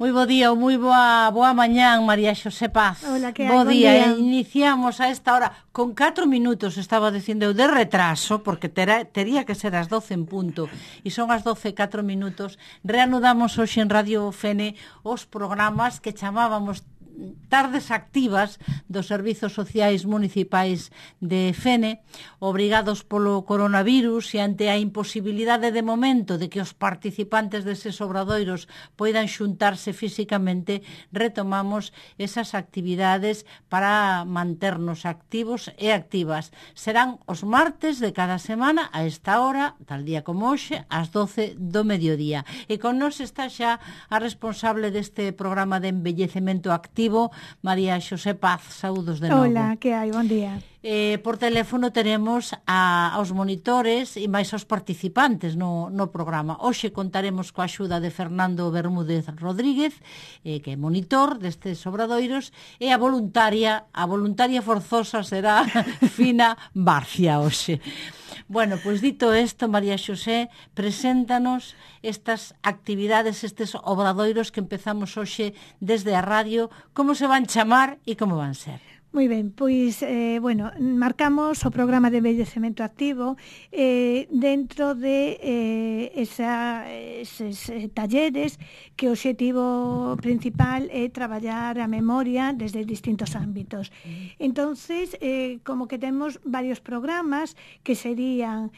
Moi bo día ou moi boa mañán, María Xosé Paz. Hola, que hai? Bo día. Día. Iniciamos a esta hora con 4 minutos, estaba dicindo eu, de retraso, porque tería que ser as 12 en punto, e son as 12 4 minutos. Reanudamos hoxe en Radio Fene os programas que chamábamos Tardes Activas dos Servizos Sociais Municipais de Fene, obrigados polo coronavirus e ante a imposibilidade de momento de que os participantes deses obradoiros poidan xuntarse físicamente, retomamos esas actividades para manternos activos e activas. Serán os martes de cada semana a esta hora, tal día como hoxe, ás 12 do mediodía. E con nos está xa a responsable deste programa de envellecemento activo, María Xosé Paz. Saúdos de novo. Hola, que hai? Bon día. Por teléfono teremos aos monitores e máis aos participantes no programa. Hoxe contaremos coa axuda de Fernando Bermúdez Rodríguez, que é monitor destes obradoiros, e a voluntaria forzosa será Fina Barcia hoxe. Bueno, pois dito isto, María Xosé, preséntanos estas actividades, estes obradoiros que empezamos hoxe desde a radio, como se van chamar e como van ser. Moi ben, pois, marcamos o programa de envellecemento activo dentro de eses talleres que o obxectivo principal é traballar a memoria desde distintos ámbitos. Entonces, como que temos varios programas que serían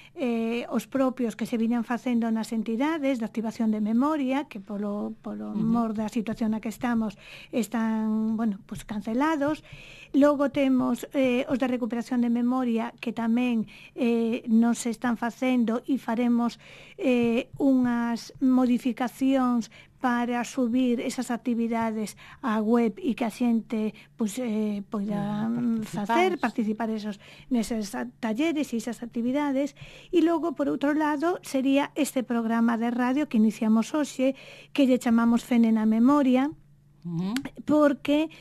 os propios que se viñan facendo nas entidades de activación de memoria, que polo mor da situación na que estamos están, pues cancelados. Logo temos os de recuperación de memoria que tamén non se están facendo e faremos unhas modificacións para subir esas actividades á web e que a xente poida participar neses talleres e esas actividades. E logo, por outro lado, sería este programa de radio que iniciamos hoxe, que lle chamamos Fene na Memoria, porque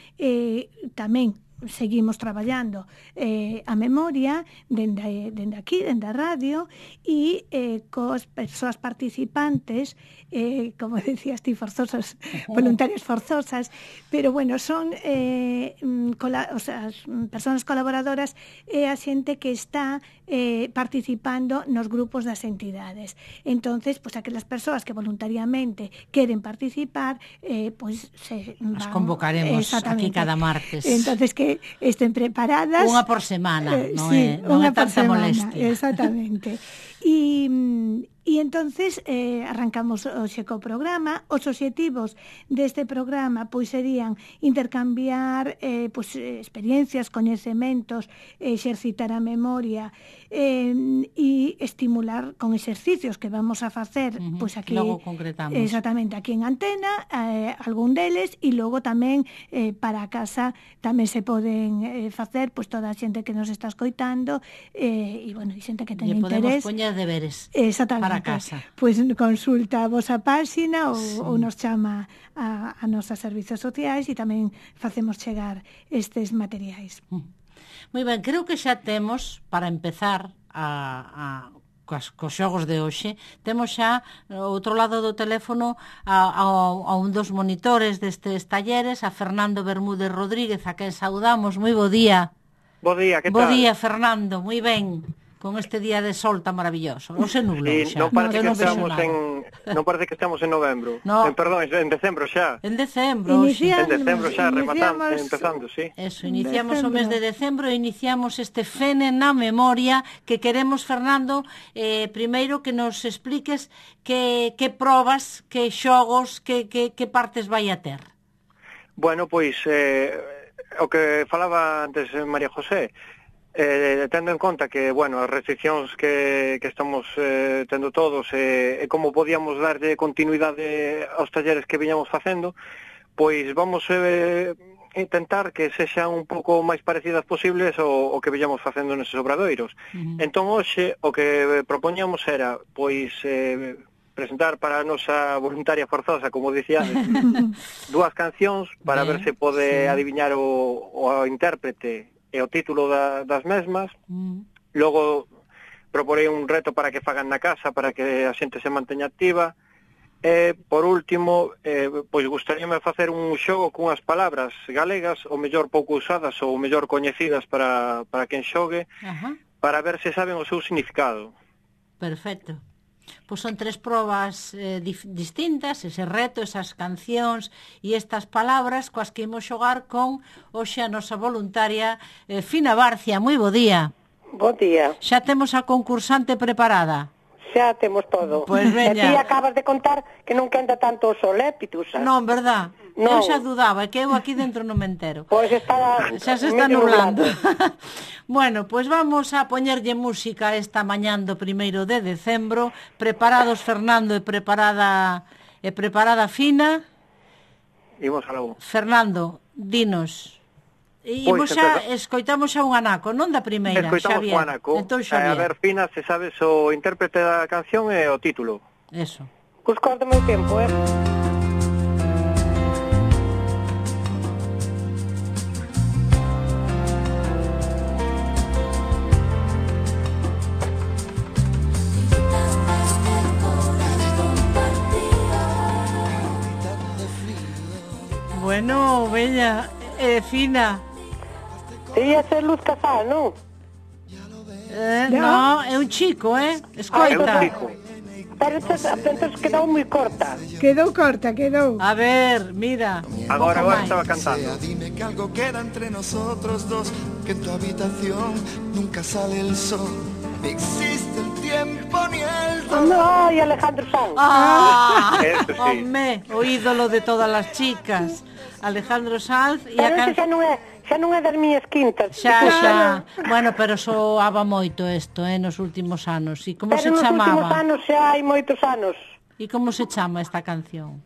tamén seguimos traballando a memoria dende aquí, dende a radio, e coas persoas participantes, como decías ti, forzosas, voluntarias forzosas, pero bueno, son as persoas colaboradoras e a xente que está participando nos grupos das entidades. Entonces, aquelas persoas que voluntariamente queren participar, as convocaremos aquí cada martes. Entonces, que estén preparadas. Unha por semana, non sí, é tanta molestia. Exactamente. E entonces arrancamos hoxe co programa. Os obxectivos deste programa serían intercambiar experiencias, coñecementos, exercitar a memoria e estimular con exercicios que vamos a facer aquí. Logo concretamos. Exactamente, aquí en antena, algún deles, e logo tamén para a casa tamén se poden facer toda a xente que nos está escoitando e xente que ten interés. Podemos poñer deberes. Exactamente. Para casa. Consulta a vosa páxina ou nos chama a nosos servizos sociais e tamén facemos chegar estes materiais. Moi ben, creo que xa temos, para empezar cos xogos de hoxe, temos xa ao outro lado do teléfono a un dos monitores destes talleres, a Fernando Bermúdez Rodríguez, a quen saudamos. Moi bo día. Bo día, que tal? Bo día, Fernando, moi ben. Con este día de sol tan maravilloso. Non se nublou xa. Non parece que estamos en novembro. No. Perdón, en decembro xa. En decembro. En decembro xa, empezando, sí. Eso, iniciamos o mes de decembro e iniciamos este Fene na Memoria que queremos, Fernando, primeiro que nos expliques que probas, que xogos, que partes vai a ter. Bueno, pois, o que falaba antes María José, tendo en conta que, as restriccións que estamos tendo todos e como podíamos darlle continuidade aos talleres que viñamos facendo, pois vamos intentar que sexan un pouco máis parecidas posibles o que viñamos facendo neses obradoiros. Entón, hoxe, o que propoñamos era, presentar para a nosa voluntaria forzosa, como dicía, dúas cancións para ver se pode adiviñar o intérprete e o título das mesmas. Logo proporei un reto para que fagan na casa, para que a xente se manteña activa, por último, pois gustaríame facer un xogo cunhas palabras galegas, o mellor pouco usadas ou o mellor coñecidas para quen xogue, para ver se saben o seu significado. Perfecto. Pois son 3 probas distintas, ese reto, esas cancións e estas palabras coas que imos xogar con hoxe a nosa voluntaria Fina Barcia. Moi bo día. Bo día. Xa temos a concursante preparada. Xa temos todo. Pois veña. E ti acabas de contar que non quenta tanto o sol, Pitusa? Non, verdad? Non. Eu xa dudaba, que eu aquí dentro non me entero. Pois xa se está nublando. Bueno, pois vamos a poñerlle música esta mañán do 1 de decembro. Preparados Fernando e preparada Fina. Imos algo. Fernando, dinos. Imos xa, escoitamos xa un anaco, non da primeira, Escoitamos Xavier. un anaco. Entón, Xavier. A ver, Fina, se sabes o intérprete da canción e o título. Eso. Buscos do meu tempo, Bueno, bella, Fina. Debía ser Luz Casal, non? No, é un chico, escoita. É un chico. Pero entonces quedou moi corta. Quedou corta, quedou. A ver, mira. Agora máis. estaba cantando. Dime que algo queda entre nosotros dos, que en tu habitación nunca sale el sol. Ni existe el tiempo ni el dolor. No, e Alejandro Sanz. Eso sí. Home, o ídolo de todas as chicas. Alejandro Sanz e Pero ese xa non é das miñas quintas. Xa. Bueno, pero soaba moito isto, nos últimos anos. E como se Pero nos últimos chamaba? anos xa hai moitos anos. E como se chama esta canción?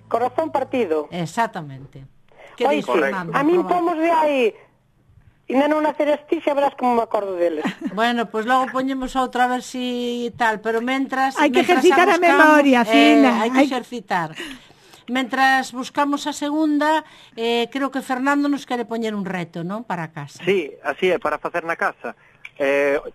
Corazón partido. Exactamente. Que Oi, dis, sí. Fernando? A min Proba. pomos de aí. E non naceres ti, xa verás como me acordo deles. Bueno, pois logo poñemos outra a ver si tal, pero mentras... Hai que mentras ejercitar a memoria, Fina. Hai que exercitar. Mentras buscamos a segunda, creo que Fernando nos quere poñer un reto, non? Para casa. Sí, así é, para facer na casa.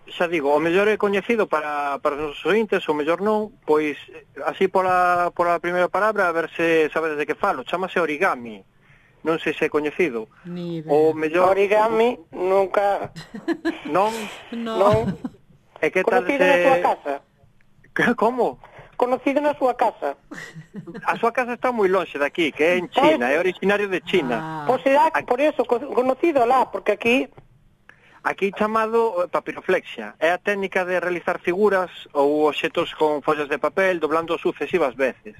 Xa digo, o mellor é coñecido para os nosos ointes, o mellor non, pois así pola primeira palabra, a ver se sabedes de que falo. Chámase origami. Non sei se é coñecido. Ni idea. O mellor... Origami, nunca... Non? Non. E que tal Conocido na súa casa. Como? Conocido na súa casa. A súa casa está moi longe de aquí, que é en China, é originario de China. Pois será por eso, conocido lá, porque aquí... Aquí chamado papiroflexia. É a técnica de realizar figuras ou obxetos con follas de papel doblando sucesivas veces.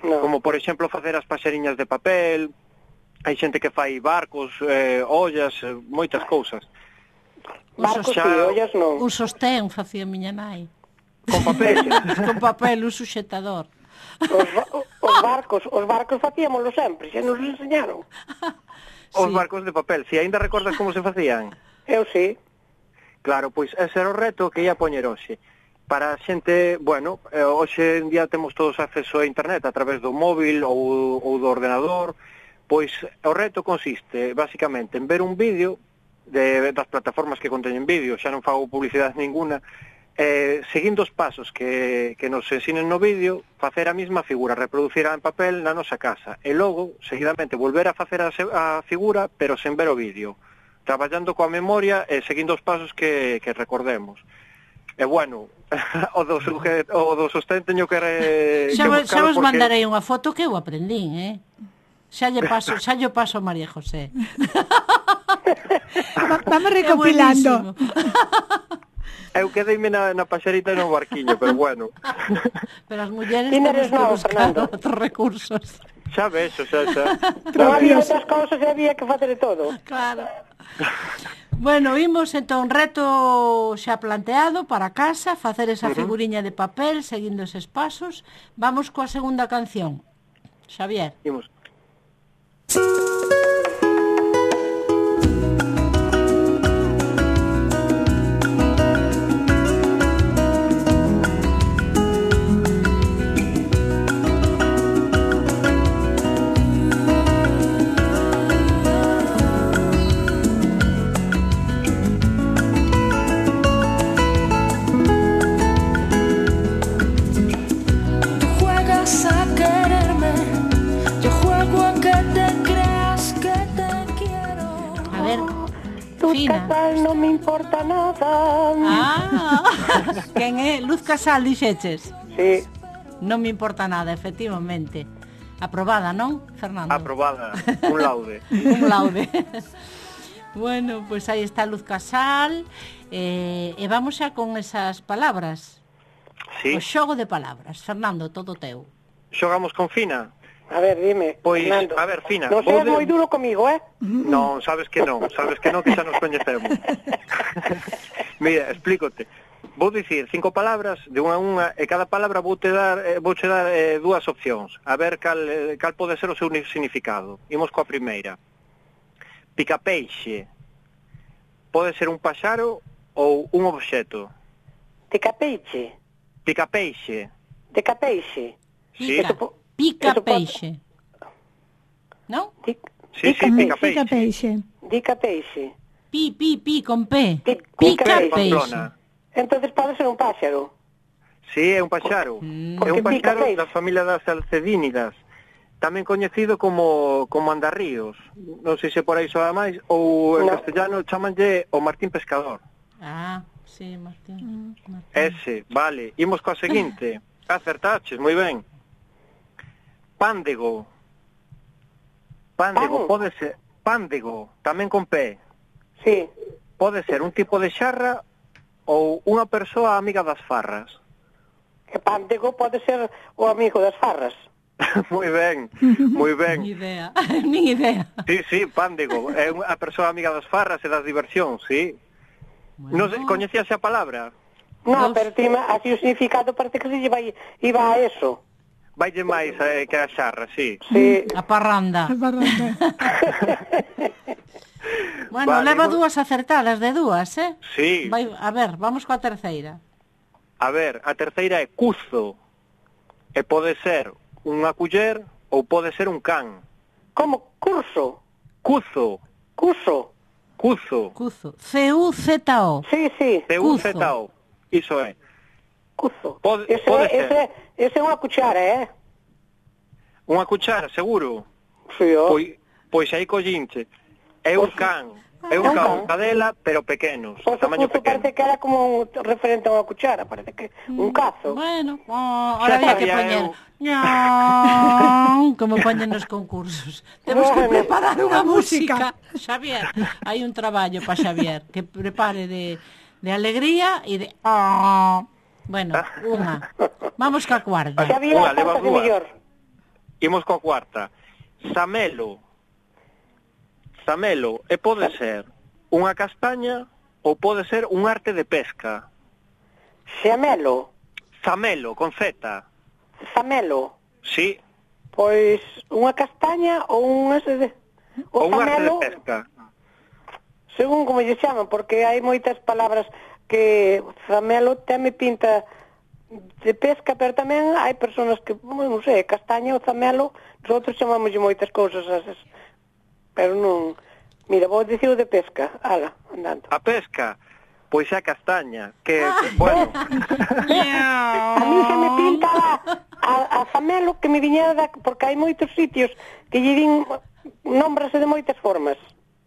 No. Como, por exemplo, facer as paxariñas de papel. Hai xente que fai barcos, ollas, moitas cousas. Barcos Xa- e ollas non. Un sostén facía miña nai. Con papel. Con papel, un suxetador. Os barcos facíamoslo sempre, xa nos enseñaron. Os Sí. barcos de papel. Si aínda recordas como se facían? Eu sí. Claro, pois ese era o reto que ia poñer hoxe. Para a xente, bueno, hoxe en día temos todos acceso a internet a través do móvil ou do ordenador. Pois o reto consiste, basicamente, en ver un vídeo das plataformas que conteñen vídeo, xa non fago publicidade ninguna, seguindo os pasos que nos ensinen no vídeo, facer a mesma figura, reproducirá en papel na nosa casa, e logo, seguidamente, volver a facer a figura, pero sen ver o vídeo, traballando coa memoria e seguindo os pasos que recordemos. E bueno, o do sostén teño que Xa vos buscalo porque... mandarei unha foto que eu aprendín, Xa lle paso a María José. Vamos É recopilando. buenísimo. Eu quedeime na paxarita e no barquiño, pero bueno. Pero as mulleres Ti temos eres que novo, buscar Fernando. outros recursos. Xa vexo, xa. Non había outras cousas e había que facer de todo. Claro. Bueno, imos entón reto xa planteado para casa, facer esa figuriña de papel seguindo eses pasos. Vamos coa segunda canción. Xavier. Imos. Tú juegas a Fina. Casal non me importa nada. Quen é? Luz Casal, dixeches? Sí, Non me importa nada, efectivamente. Aprobada, non, Fernando? Aprobada, un laude. Un laude. Bueno, pois aí está Luz Casal. E vamos xa con esas palabras. Sí, O xogo de palabras. Fernando, todo teu. xogamos con Fina. a ver, dime. Pois, Fernando. a ver, Fina, Non seas moi duro comigo, Non, sabes que non, que xa nos coñecemos. Mira, explícote. Vou dicir 5 palabras de unha a unha e cada palabra vouche dar dúas opcións. A ver cal pode ser o seu significado. Imos coa primeira. Picapeixe. Pode ser un paxaro ou un obxeto. De capeixe. Picapeixe. De capeixe. Sí. Pica, pica eso peixe. Non? Sí, Pica picapeixe. peixe. De capeixe. Pi, con P. Pica Pica peixe. Pamplona. Entonces pode ser un páxaro. Sí, é un paxaro. É un Porque pica paxaro peixe. da familia das alcedínidas. Tamén coñecido como andarríos. Non sei se por aí soa máis, ou en No. castellano chamanlle o Martín Pescador. Sí, Martín. Ese, vale. Imos coa seguinte. Acertaches, moi ben. Pándego. Pándego, Pan. pode ser... Pándego, tamén con P. Sí. Pode ser un tipo de xarra ou unha persoa amiga das farras. E pándego pode ser o amigo das farras. Moi ben, moi Ni ben. idea, ni idea. Sí, pándego. É unha persoa amiga das farras e das diversións, sí. Non sei, coñecías a palabra? No, Dos. pero así o significado parece que se iba a eso. Vaille máis que a xarra, sí. Sí. A parranda. Barranda. Bueno, Vale, leva vou- dúas acertadas de dúas, eh? Sí. A ver, vamos coa terceira. A ver, a terceira é cuzo. E pode ser unha culler ou pode ser un can. Como curso. Cuzo. Curso. Cuzo. Cuzo. C-U-Z-O. Sí, sí. C-U-Z-O. Iso é. Curso. Pode Ese é unha cuchara, Unha cuchara, seguro. Sí, Pois aí collinche. É un can. É un can, cadela, pero pequenos. Pois o Tamaño curso pequeno. parece que era como referente a unha cuchara, parece que un cazo. Bueno, ahora había que sabía poñer eu. ñan, como poñen nos concursos. Temos que Bueno. preparar unha música. Xavier, hai un traballo para Xavier que prepare de alegría e de bueno, unha. Vamos ca cuarta. Xa vi Unha, as leva cartas de dúas. mellor. Imos coa cuarta. Samelo. Samelo, e pode ser unha castaña ou pode ser un arte de pesca. Xamelo. Samelo, con Z. Zamelo. Sí, Pois unha castaña ou un ese de... ou un arte de zamelo, pesca. según como lle chaman, porque hai moitas palabras que zamelo teme pinta de pesca, pero tamén hai persoas que, non sei, castaña ou zamelo, nosotros chamamos moitas cousas asas. Pero non... Mira, vou dicir o de pesca. Ala, andando. A pesca, pois é a castaña, que, bueno, A mí se me pinta a zamelo que me viñera porque hai moitos sitios que lle din nómbrase de moitas formas.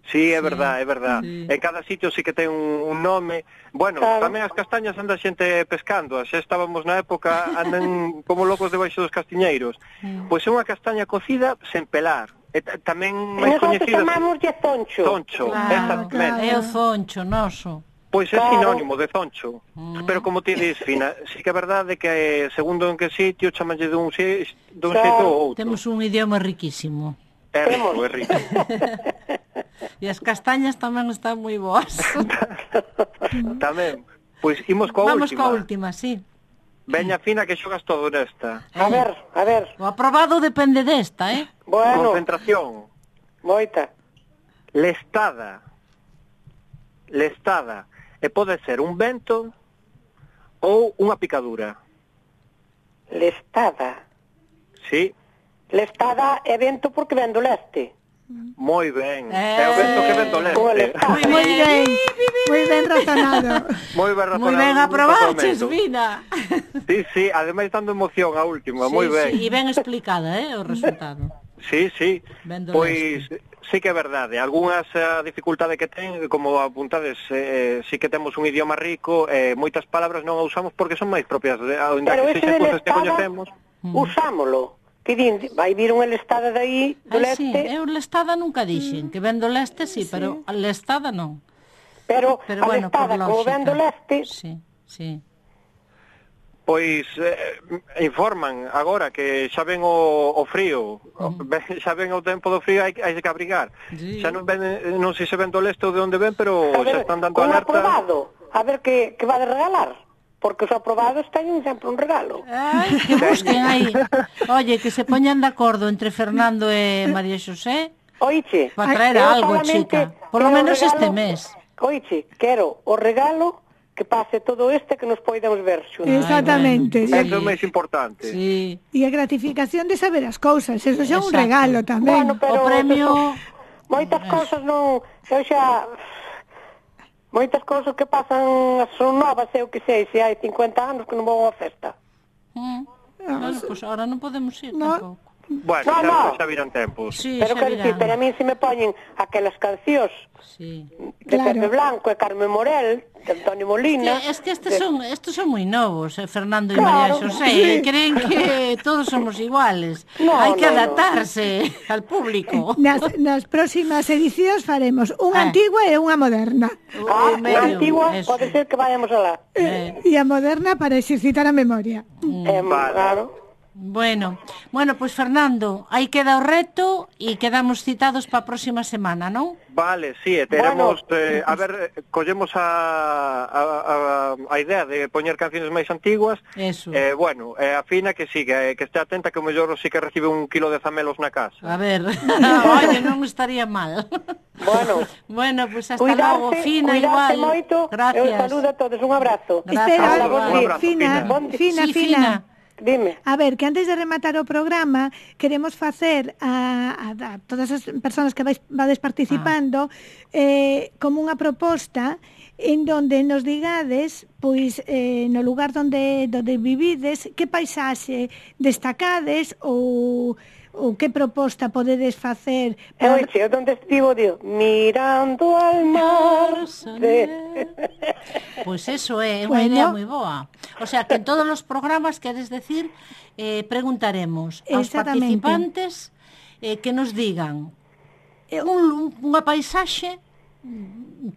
sí, é verdad, é verdad. Sí. En cada sitio sí que ten un nome. Bueno, Claro. tamén as castañas anda xente pescando, xa estábamos na época, andan como locos debaixo dos castiñeiros. Pois é unha castaña cocida sen pelar. E tamén E máis nosotros coñecida... chamamoslle zoncho. Zoncho, exactamente. É o zoncho noso. Pois é Claro. sinónimo de zoncho. Pero como ti dis, Fina, sí que é verdade que segundo en que sitio chamanlle dun xeito ou outro. Temos un idioma riquísimo. É rico, é rico. E as castañas tamén están moi boas. Tamén. Pois imos coa Vamos última. coa última, sí. Veña, Fina, que xogas todo nesta. A ver. O aprobado depende desta, eh? Bueno, Concentración. moita. Lestada. Lestada. E pode ser un vento ou unha picadura. Lestada. Sí, Lestada é vento porque ven do leste. moi ben. É o vento que ven do Como leste. lestada. Moi ben. Moi ben razonado. Moi ben razonado. Moi ben aprobaches, totalmente. Vina. Sí, ademais dando emoción a última, moi ben. Sí, e ben explicada, o resultado. Sí. Ben do Pois, sí que é verdade. Algúnas a dificultade que ten, como apuntades, sí que temos un idioma rico, moitas palabras non a usamos porque son máis propias, onde Pero que ese sexan del cousas que Estado, coñecemos. usámolo. Que din, vai vir un Estada de aí, do Sí, leste, eu lestada nunca dixen, que ven do leste sí, pero a lestada non. pero a bueno, por Estada, como lógica. ven do leste, Sí, sí. Pois informan agora que xa ven o frío, xa ven o tempo do frío, hai que abrigar. Sí. Xa non non sei se ven do leste ou de onde ven, pero a xa ver, están dando un alerta. aprobado, a ver que va de regalar. Porque os aprobados teñen sempre un regalo. Ai, que busquen aí. Oye, que se poñan de acordo entre Fernando e María Xosé Oiche, para traer eu algo, solamente chica. Por lo quero menos regalo, este mes. Oiche, quero o regalo que pase todo que nos podemos ver xuntos. Exactamente. Ay, Eso é o máis importante. Sí. E a gratificación de saber as cousas, eso xa é un Exacto. regalo tamén. Bueno, pero O premio... moitas cousas non, eu xa moitas cousas que pasan son novas, eu que sei, se hai 50 anos que non vou a unha festa. Bueno, pues ahora non podemos ir No. tampouco. Bueno, No. xa virán tempos. Sí, Pero xa quero dicir, virán. pero a mí se me poñen aquelas cancións Sí. de Claro. Pepe Blanco e Carmen Morel, de Antonio Molina. Es que estos son moi novos, Fernando e Claro. María Xosé, creen que todos somos iguales. No, Hai que no, no. adaptarse al público. Nas próximas edicións faremos unha Ah. antigua e unha moderna. O medio, Na antigua eso. pode ser que vayamos alá. E a moderna para exercitar a memoria. Vale. Claro. Bueno, pues Fernando, aí queda o reto e quedamos citados para a próxima semana, non? Vale, sí, teremos, Bueno. a ver, collemos a idea de poñer canciones máis antiguas. Eso. Bueno, a Fina que siga, que este atenta que o mellor sí que recibe 1 kilo de zamelos na casa. A ver, oye, non estaría mal. Bueno, Pues hasta logo, Fina, cuidarse igual. moito. Gracias. Eu saludo a todos, un abrazo. Gracias. Espera, Un abrazo, Fina, Fina. Sí, Fina. Dime. A ver, que antes de rematar o programa queremos facer a todas as persoas que vades participando como unha proposta en donde nos digades pois no lugar donde vivides que paisaxe destacades ou que proposta podedes facer Oiche, onde estivo, digo, mirando al mar. Pois eso é unha Bueno. idea moi boa. O sea, que en todos os programas, queres decir, preguntaremos aos Exactamente. participantes que nos digan unha paisaxe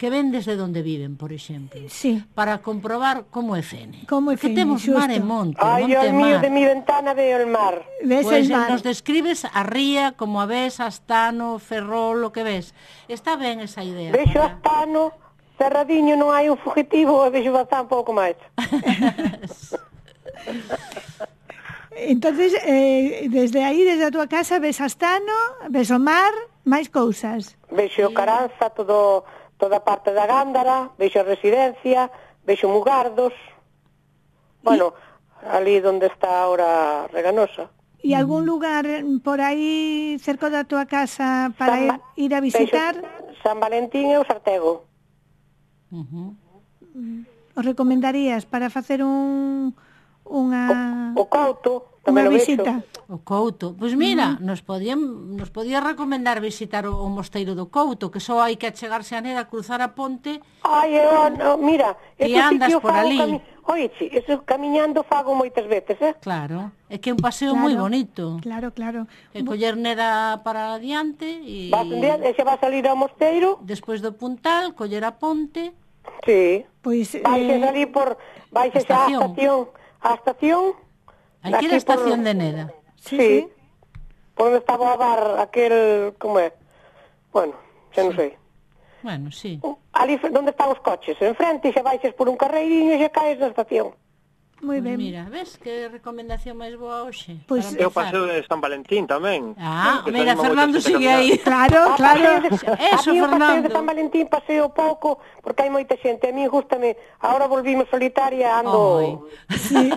que ven desde onde viven, por exemplo. Sí. Para comprobar como é Fene. Como é Que Fene, temos xusto. mar e monte, Ai, monte e Dios mío, mar. de mi ventana veo el mar. ves Pois el mar. nos describes a ría, como a ves, Astano, Ferrol, o que ves. Está ben esa idea. Vexo Astano, cerradiño, non hai un fugitivo, e vexo bastante un pouco máis. Entonces, desde aí, desde a túa casa, ves Astano, ves o mar, máis cousas. Vexo Caranza, toda a parte da Gándara, vexo a residencia, vexo Mugardos. Bueno, ali onde está ahora Reganosa. E algún lugar por aí cerca da túa casa para ir a visitar? Vexo San Valentín e o Sartego. Os recomendarías para facer unha O Couto, unha tamén lo visita? vexo. O Couto. Pois mira, nos podía recomendar visitar o Mosteiro do Couto, que só hai que achegarse a neda, cruzar a ponte. Ai, mira, E ese andas sitio por fago ali. Oiche, eso camiñando fago moitas veces, Claro, é que é un paseo moi bonito. Claro, claro. E coller neda para adiante e Vas un día, e xa vas salir ao mosteiro, despois do puntal, coller a ponte. sí. Pois Baixes ali baixes á estación. Hai que ir á estación de Neda. Sí. Por onde estaba o bar aquel, como é? Bueno, xa non sei. Bueno, sí. Ali onde están os coches, enfrente, xa baixes por un carreiriño e xa caes na estación. moi ben. Mira, ves que recomendación máis boa hoxe? Pois para E o empezar. paseo de San Valentín tamén. Ah, Que mira, se anima Fernando moita xente sigue a aí. Claro, claro. Eso, a mí o paseo Fernando. de San Valentín paseo pouco, porque hai moita xente. A mí gústame, ahora volvimos solitaria, ando... Sí.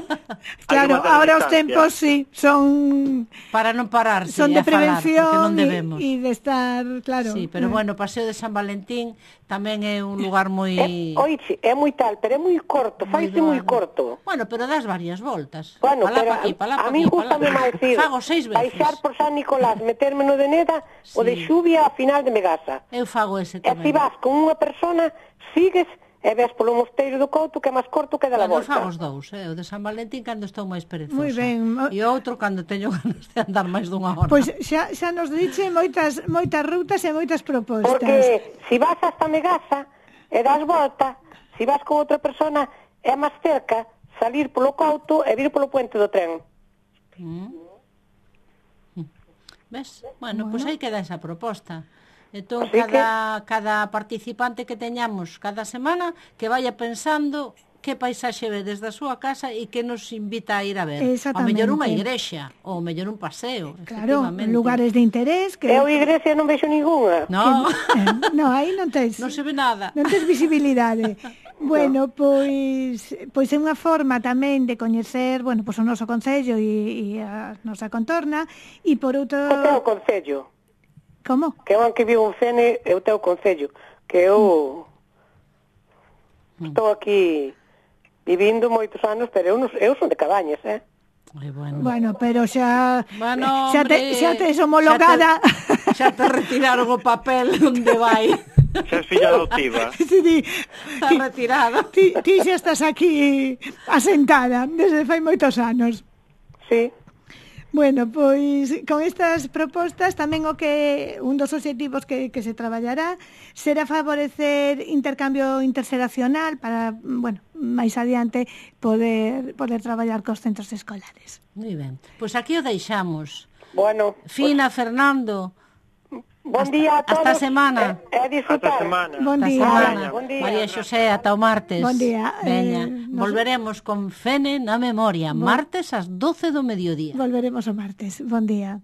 Claro, Hai que manter ahora os distancia. tempos sí, son Para non pararse son de a falar, porque prevención non debemos. e de estar, claro. Sí, pero bueno, o paseo de San Valentín tamén é un lugar moi... Oiche, é moi tal, pero é moi corto, faise moi corto. Bueno, pero das varias voltas. Bueno, Palá pero pa aquí, palá pa a mí aquí, palá. gustame máis ir Fago 6 veces. baixar por San Nicolás, meterme no de Neda, o de Xubia a final de Megasa. Eu fago ese E se tamén. vas con unha persona, sigues e ves polo mosteiro do Couto, que é máis corto que da la Bueno, volta. fago os dous, o de San Valentín cando estou máis perezosa. Moi ben. E outro cando teño ganas de andar máis dunha hora. Pois xa nos dixe moitas rutas e moitas propostas. Porque se vas hasta Megasa e das volta, se vas con outra persona, é máis cerca salir polo Couto e vir polo puente do tren. Ves? Bueno, pois aí queda esa proposta. Entón, Así cada participante que teñamos cada semana que vaya pensando que paisaxe ve desde a súa casa e que nos invita a ir a ver. Ao mellor unha igrexa, ou ao mellor un paseo, Claro, efectivamente. lugares de interés que... Eu igrexa non vexo ningunha. No, No, aí non tes... non se ve nada. Non tes visibilidade. Bueno, pois é unha forma tamén de coñecer, bueno, pois o noso concello e a nosa contorna, e por outro... O teu concello. Como? Que eu que vivo en Fene é o teu concello. Que eu estou aquí vivindo moitos anos, pero eu son de Cabañas, Bueno. Bueno, pero xa... Bueno, xa hombre, tes homologada... Xa te retiraron o papel onde vai. Xa es filla adoptiva. Sí, Está retirado. ti xa estás aquí asentada desde fai moitos anos. Sí. Bueno, pois con estas propostas tamén o que un dos obxectivos que se traballará será favorecer intercambio interxeracional para, bueno, máis adiante poder traballar cos centros escolares. Moi ben. Pois aquí o deixamos. Bueno, Fina, Fernando. bon día a todos. Hasta a semana. E a disfrutar. Hasta semana. Bon Hasta día. semana. Bon día. María Xosé, ata o martes. Bon día. Veña, Nos- volveremos con Fene na memoria, martes ás 12 do mediodía. Volveremos o martes. Bon día.